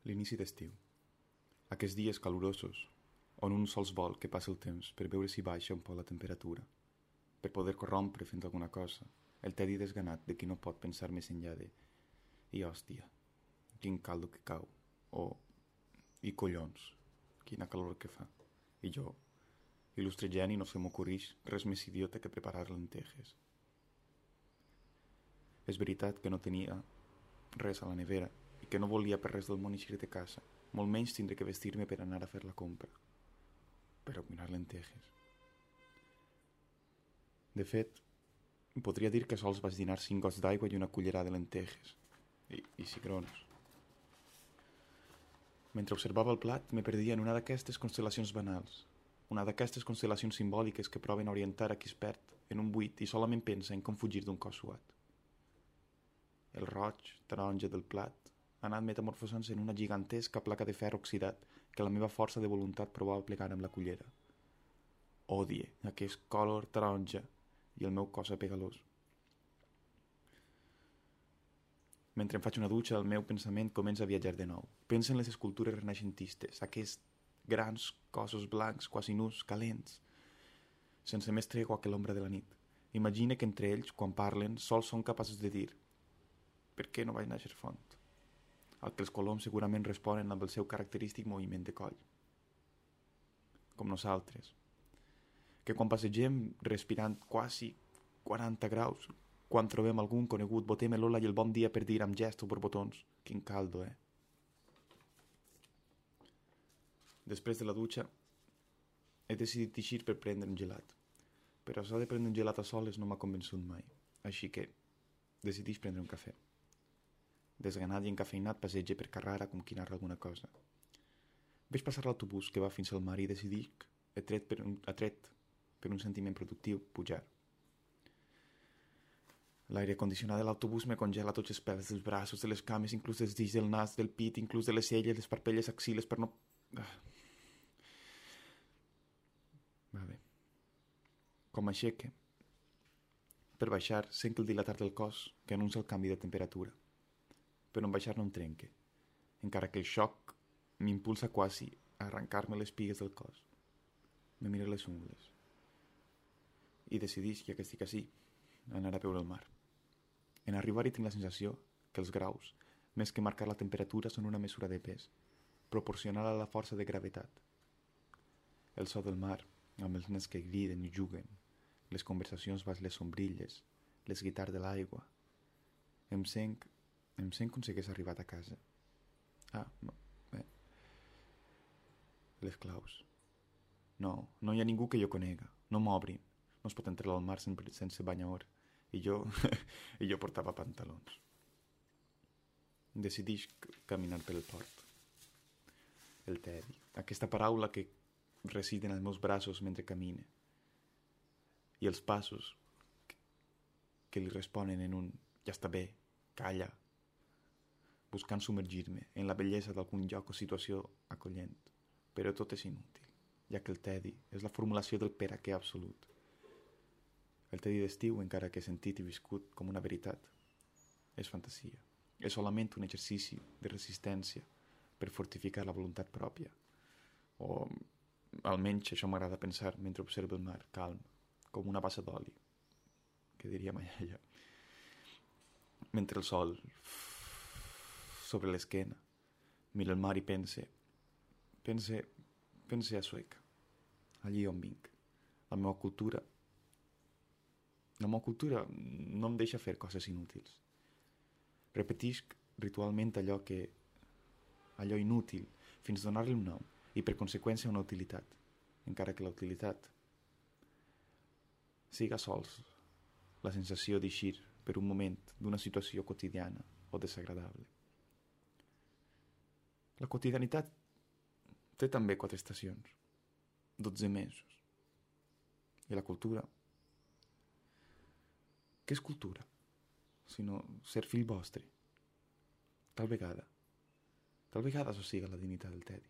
L'inici d'estiu. Aquests dies calorosos, on un sols vol que passi el temps per veure si baixa un poc la temperatura, per poder corrompre fent alguna cosa, el tedi desganat de qui no pot pensar més enllà de «I hòstia, quin caldo que cau», o «I collons, quina calor que fa», i jo, il·lustre geni, no se m'ocorrix res més idiota que preparar lentejes. És veritat que no tenia res a la nevera i que no volia per res del món eixir de casa, molt menys tindré que vestir-me per anar a fer la compra. Però cuinar lentejes. De fet, podria dir que sols vaig dinar 5 gots d'aigua i una cullerada de lentejes. I cigrons. Mentre observava el plat, me perdia en una d'aquestes constel·lacions banals, una d'aquestes constel·lacions simbòliques que proven a orientar a qui es perd en un buit i solament pensa en com fugir d'un cos suat. El roig, taronja del plat ha anat metamorfosant-se en una gigantesca placa de ferro oxidat que la meva força de voluntat provava a plegar amb la cullera. Odie aquest color taronja i el meu cos apegalós. Mentre em faig una dutxa, el meu pensament comença a viatjar de nou. Pensa en les escultures renaixentistes, aquests grans cossos blancs, quasi nus, calents, sense més tregua que l'ombra de la nit. Imagina que entre ells, quan parlen, sols són capaços de dir «Per què no vaig néixer font?» al que els coloms segurament responen amb el seu característic moviment de coll. Com nosaltres, que quan passegem respirant quasi 40 graus, quan trobem algun conegut, botem l'hola i el bon dia per dir amb gest o borbotons «Quin caldo, eh?» Després de la dutxa, he decidit eixir per prendre un gelat. Però això de prendre un gelat a soles no m'ha convençut mai, així que decideix prendre un cafè. Desganat i encafeinat passege per Carrara com qui narra alguna cosa. Veig passar l'autobús que va fins al mar i decidic, atret per un sentiment productiu, pujar. L'aire condicionat de l'autobús me congela tots els pèls dels braços, de les cames, inclús dels dits del nas, del pit, inclús de les celles, les parpelles, axiles, per no... Va bé. Com aixeque. Per baixar, sent el dilatar del cos que anuncia el canvi de temperatura. Però en baixar no em trenque, encara que el xoc m'impulsa quasi a arrencar-me les pigues del cos. Me miro les ungles i decideix, ja que estic així, anar a veure el mar. En arribar-hi tinc la sensació que els graus, més que marcar la temperatura, són una mesura de pes, proporcional a la força de gravetat. El so del mar, amb els nens que griden i juguen, les conversacions baix les sombrilles, les guitars de l'aigua. Em sent com si hagués arribat a casa. Les claus. No hi ha ningú que jo conega. No m'obrin. No es pot entrar al mar sense banyador. I jo portava pantalons. Decideix caminar pel port. El tedi. Aquesta paraula que reside en els meus braços mentre camine. I els passos que li responen en un ja està bé, calla, buscant submergir-me en la bellesa d'algun lloc o situació acollent. Però tot és inútil, ja que el tedi és la formulació del per a què absolut. El tedi d'estiu, encara que he sentit i viscut com una veritat, és fantasia. És solament un exercici de resistència per fortificar la voluntat pròpia. O almenys això m'agrada pensar mentre observo el mar, calm, com una bassa d'oli, que diria ma iaia. Mentre el sol sobre l'esquena mira el mar i pense a Sueca, allí on vinc. La meva cultura no em deixa fer coses inútils. Repetisc ritualment allò inútil fins a donar-li un nom i per conseqüència una utilitat, encara que la utilitat siga sols la sensació d'eixir per un moment d'una situació quotidiana o desagradable. La quotidianitat té també 4 estacions, 12 mesos. I la cultura? Què és cultura? Sinó ser fill vostre. Tal vegada això siga la dignitat del tedi.